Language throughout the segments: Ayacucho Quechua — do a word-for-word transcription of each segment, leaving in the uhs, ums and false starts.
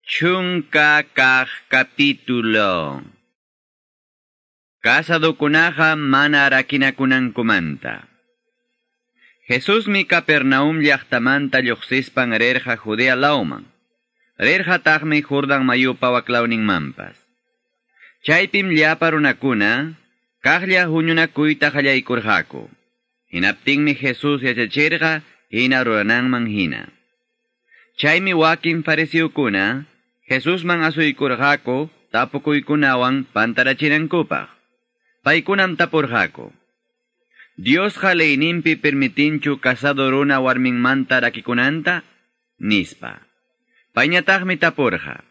Chunka kaq capítulo. Kasadukunaqa mana rakinakunankumanta. Jesusmi Capernaum llaqtamanta lluqsispan rirqa Judea lawman. Rirqataqmi Jordan mayupa waklawninmanpas. Chaypim llapa runakuna kaqlla huñunakuyta qallaykurqaku. Hinaptinmi Jesús yachachirqa hina rurananman hina. Chaymi wakin fariseokuna Jesusman asuykurqaku tapukuykunawan pantarachinankupaq. Paykunam tapurqaku: Diosqa leyninpi permitinchu casado runa warminmanta rakikunanta? Nispa. Payñataqmi tapurqa: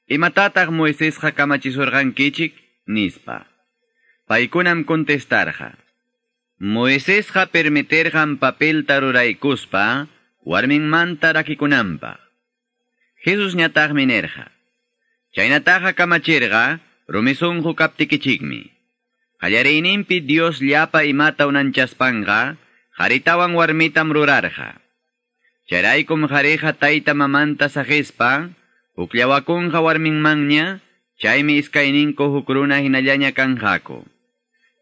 Imatataq Moisesqa kamachisurqankichik? Nispa. Paykunam contestarqa: Moisesqa permitirqan papelta ruraykuspa warminmanta rakikunanpaq. Jesusñataqmi nirqa: Chaynataqa kamachirqa rumi sunqu kaptikichikmi. Qallariyninpi Dios llapa imata unanchaspanqa qharitawan warmitam rurarqa. Chayraykum qhariqa tayta mamanta saqispa hukllawakunqa warminmanña, chaymi iskayninku huk runa hinallaña kanqaku.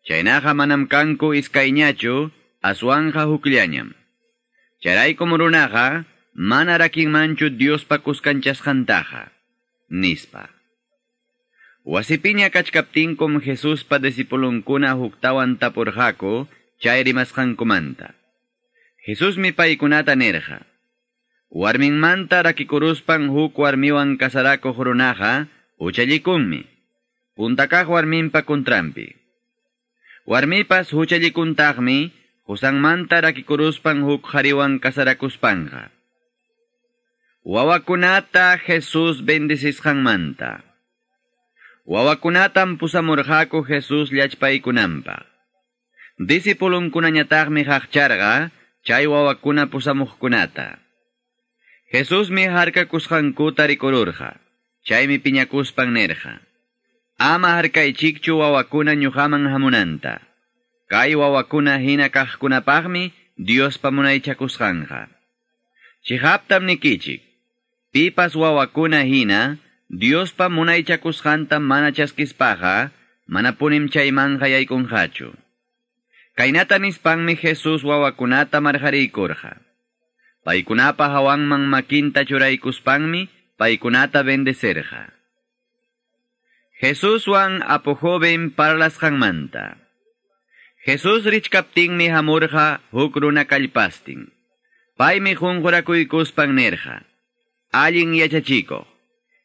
Chaynaqa manam kanku iskayñachu, aswanqa hukllañam. Chayraykum runaqa mana rakinmanchu Diospa kuskanchasqantaqa, nispa. Wasipiña kachkaptinkum Jesuspa discipulunkuna huktawan tapurqaku chay rimasqankumanta. Jesusmi paykunata nirqa: Warminmanta rakikuruspan huk warmiwan kasarakuq runaqa huchallikunmi, puntakaq warminpa kuntranpi. Warmipas huchallikuntaqmi qusanmanta rakikuruspan huk qhariwan kasarakuspanqa. Wawakunata Jesús bendecisqanmanta. Wawakunatam pusamurqaku Jesús llachpaykunanpaq. Discipulunkunañataqmi qaqcharqa chay wawakuna pusamuqkunata. Jesusmi harkakusqankuta rikururqa, chaymi piñakuspan nirqa: Ama harkaychikchu wawakuna ñuqaman hamunanta. Kay wawakuna hina kaqkunapaqmi Diospa munaychakusqanqa. Chihaptam nikichik, pipas wawakuna hina Diospa munaychakusqanta mana chaskispaqa manapunim chaymanqa yaykunqachu. Kaynata nispanmi Jesús wawakunata marqariykurqa. Paykunapa hawanman makinta churaykuspanmi paykunata bendecerqa. Jesuswan apu joven parlasqanmanta. Jesús richkaptinmi hamurqa huk runa kallpastin. Paymi qunqurakuykuspan nirqa: Allin yachachikuq,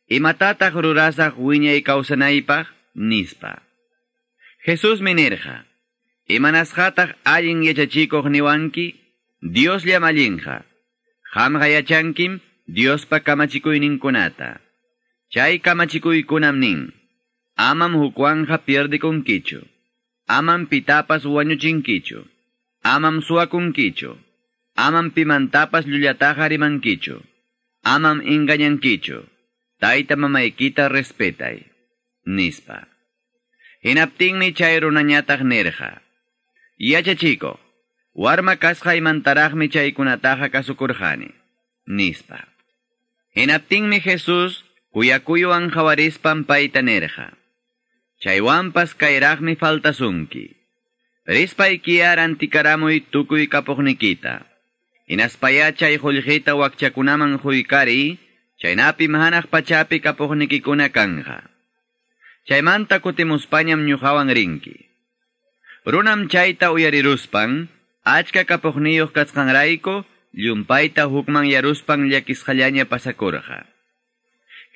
imatataq rurasaq wiñay kawsanaypaq? Nispa. Jesusmi nirqa: Imanasqataq allin yachachikuq niwanki? Diosllam allinqa. Qamqa yachankim Diospa kamachikuyninkunata. Chay kamachikuykunam nin: Amam hukwanqa pierdikunkichu. Amam pitapas wañuchinkichu. Amam suwakunkichu. Amam pimantapas llullataqa rimankichu. Amam engañankichu. Tayta mamaykita respetay, nispa. Hinaptinmi chay runañataq nirqa: Yachachikuq, warma kasqaymantaraqmi chaykunataqa kasukurqani, nispa. Hinaptinmi Jesús kuyakuywan qawarispan payta nirqa: Chaywanpas kayraqmi faltasunki. Rispaykiya rantikaramuy tukuy kapuqnikita. Hinaspaya chay qullqita wakchakunaman quykariy, chaynapim hanaq pachapi kapuqnikikuna kanqa. Chaymanta kutimuspañam ñuqawan rinki. Runam chayta uyariruspan, achka kapuqniyuq kasqanrayku, llumpayta hukman yaruspan llakisqallaña pasakurqa.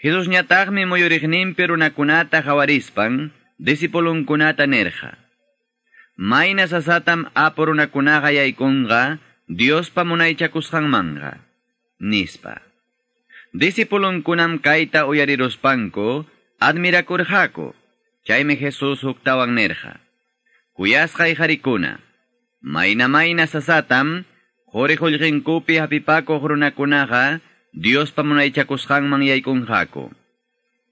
Jesusñataqmi muyuriqninpi runakunata qawarispan, discipulunkunata nirqa: Mayna sasatam apu runakunaqa yaykunqa Diospa munaychakusqanmanqa, nispa. Discipulunkunam kayta uyariruspanku admirakurqaku. Chaymi Jesús huktawan nirqa: Kuyasqay qarikuna, mayna mayna sasatam quri qullqinkupi hapipakuq runakunaqa Diospa munaychakusqanman yaykunqaku.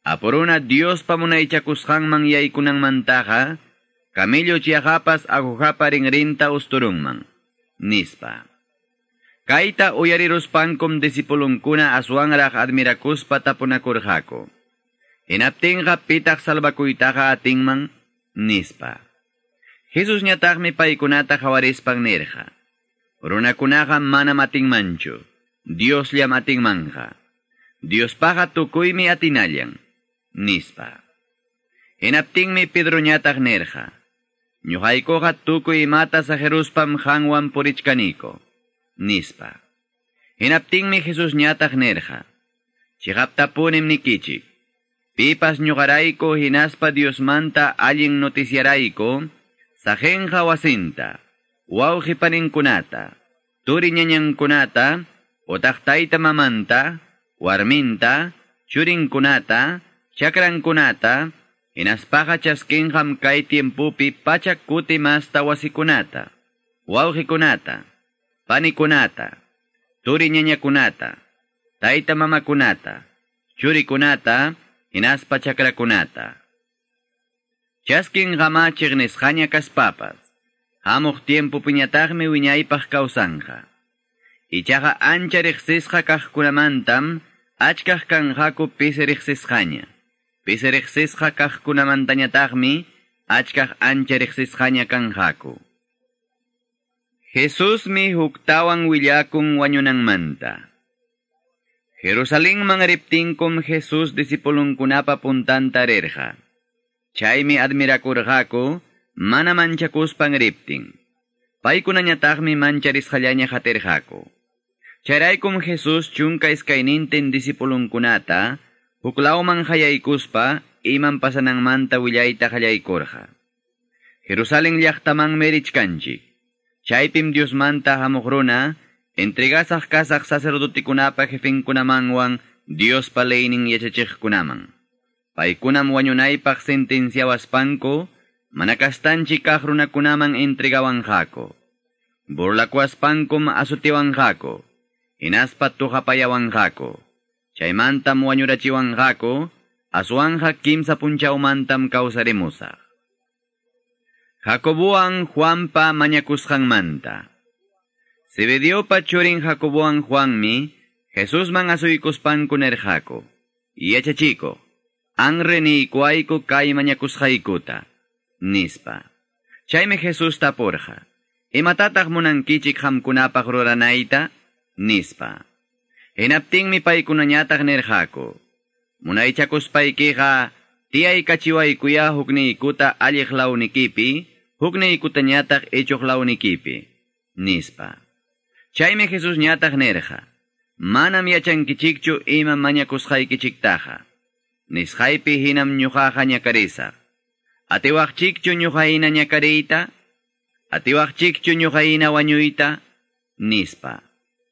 Apuruna Diospa munaychakusqanman yaykunanmantaqa camello chiaqapas agujapa rinrinta usturunman, nispa. Kayta uyariruspankum disipulunkuna aswanraq admirakuspa tapunakurqaku. Hinaptinqa pitaq salvakuytaqa atinman, nispa. Jesusñataqmi paykunata qawarispan nirqa. Runakunaqa manam atinmanchu, Diosllam atinmanja. Diospaqa tukuymi atinallan, nispa. Hinaptinmi Pedroñataq nirqa. Ñuqaykuqa tukuy imata sajeruspam qanwan purichkaniko, nispa. Hinaptinmi Jesusñataq nirqa. Chiqaptapunim nikichik. Pipas ñuqarayku hinaspa Diosmanta allin noticiarayku, sajenqa wasinta, wawqi paninkunata, turi ñañankunata, otaq tayta mamanta, warminta, churinkunata, chakrankunata, hinaspaqa chaskinqam kay tiempupi pachak kuti masta wasikunata, wawqikunata, panikunata, turi ñañakunata, tayta mamakunata, churikunata, hinaspa chakrakunata. Chaskinqama chiqnisqaña kaspapas, hamuq tiempupiñataqmi wiñaypaq kawsanja. Ichaqa ancha riqsisqa kaqkunamantam achkaq kanqaku pisi riqsisqaña. Pisi riqsisqa kaqkunamantañataqmi achkaq ancha riqsisqaña kanqaku. Jesusmi huktawan willakun wañunanmanta. Jerusalenman riptinkum Jesús disipulunkunapa puntanta rirqa. Chaymi admirakurqaku mana manchakuspan riptin. Paykunañataqmi mancharisqallaña qatirqaku. Chayraykum Jesús chunka iskaynintin disipulunkunata huklawman hayaykuspa iman pasananmanta willayta qallaykurqa. Jerusalén llaqtamanmi richkanchik. Chaypim Diosmanta hamuq runa entregasaq kasaq sacerdotikunapa jefenkunamanwan Diospa leynin yachachiqkunaman. Paykunam wañunaypaq sentenciawaspanku mana kastanchik kaq runakunaman entregawanqaku. Burlakuaspankum asutiwanqaku, hinaspa tuqapayawanqaku. Chaymantam wañurachiwanqaku, aswanja kimsa punchawmantam kawsarimusaq. Jacobowan Juanpa mañakusqanmanta. Zebediopa churin Jacobowan Juanmi Jesusman asuykuspanku nirqaku. Yachachiko, anre niykuayku kay mañakusqaykuta, nispa. Chaymi Jesús tapurqa. Imatataq munankichik qamkunapaq ruranayta, nispa. Hinaptinmi paykunañataq nirqaku. Munaychakuspaykiqa tiyaykachiwaykuya hukniykuta alliq lawnikipi, hukniykutañataq ichuq lawnikipi, nispa. Chaymi Jesusñataq nirqa. Manam yachankichikchu ima mañakusqaykichiktaqa. Nisqaypi hinam ñuqaqa ñakarisaq. Atiwaqchikchu ñuqahina ñakariyta? Atiwaqchikchu ñuqahina wañuyta? Nispa.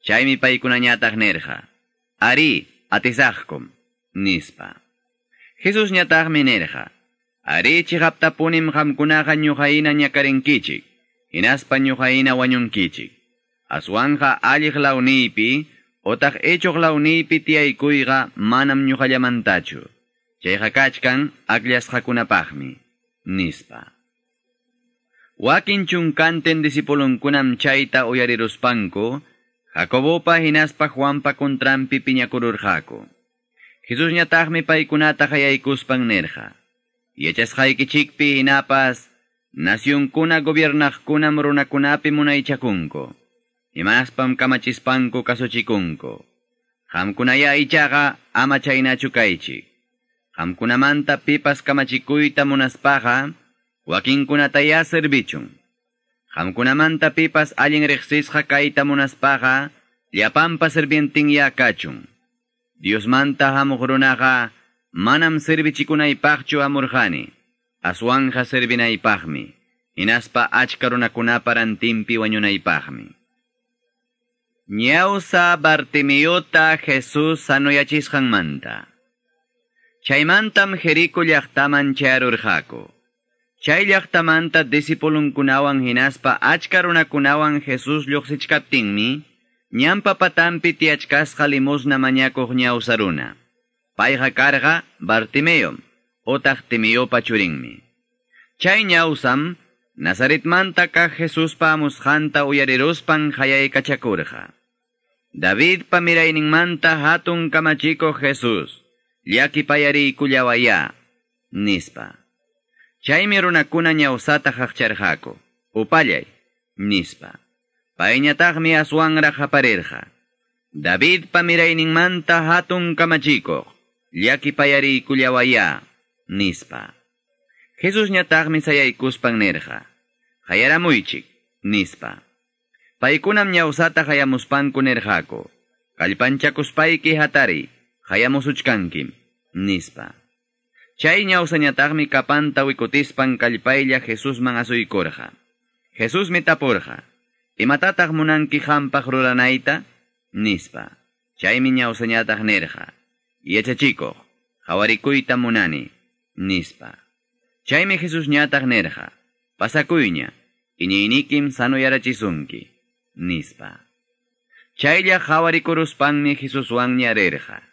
Chaymi paykunañataq nirqa. Ari, atisaqkum, nispa. Jesusñataqmi nirqa. Ari chiqaptapunim qamkunaqa ñuqahina ñakarinkichik, hinaspa ñuqahina wañunkichik. Aswanja alliq lawniypi, otaq ichuq lawniypi tiyaykuyqa manam ñuqallamantachu. Chayqa kachkan akllashqakunapaqmi, nispa. Wakin chunkantin disipulunkunam chayta uyariruspanku, Jacobopa hinaspa Juanpa kontranpi piñakururqaku. Jesusñataqmi paykunata qayaykuspan nirqa. Yachasqaykichikpi hinapas, nacionkuna gobiernaqkunam runakunapi munaychakunku. Hinaspam kamachispanku kasuchikunku. Qamkunaya ichaqa ama chaynachu kaychik. Qamkunamanta pipas kamachikuyta munaspaqa, wakinkunataya servichun. Qamkunamanta pipas allin riqsisqa kayta munaspaqa, llapanpa sirvientinya kachun. Diosmanta hamuq runaqa manam servichikunaypaqchu hamurqani, aswanja servinaypaqmi, hinaspa achka runakunapa rantinpi wañunaypaqmi. Ñawsa Bartimeota Jesús sanoyachisqanmanta. Chaymantam Jerico llaqtaman chayarurqaku. Chay llaqtamanta disipulunkunawan hinaspa achka runakunawan Jesús lluqsichkaptinmi, ñanpa patanpi tiyachkasqa limosna mañakuq ñawsa runa. Payqa karqa Bartimeo, otaq Timeopa churinmi. Chay ñawsam Nazaretmanta kaq Jesuspa amusqanta uyariruspan qayaykachakurqa. Davidpa mirayninmanta hatun kamachikuq Jesús, llakipayariykullawaya, nispa. Chaymi runakuna ñawsata qaqcharqaku, upallay, nispa. Payñataqmi aswanraq qaparirqa. Davidpa mirayninmanta hatun kamachikuq, llakipayariykullawaya, nispa. Jesusñataqmi sayaykuspan nirqa, qayaramuychik, nispa. Paykunam ñawsata qayamuspanku nirqaku, kallpanchakuspayki hatari, qayamusuchkankim, nispa. Chay ñawsañataqmi kapanta wikutispan kallpaylla Jesusman asuykurqa. Jesusmi tapurqa, imatataq munanki qampaq ruranayta? Nispa. Chaymi ñawsañataq nirqa, yachachikuq, qawarikuyta munani, nispa. Chaymi Jesusñataq nirqa, pasakuyña, iñiynikim sanuyarachisunki, nispa. Chaylla qawarikuruspanmi Jesuswanña rirqa.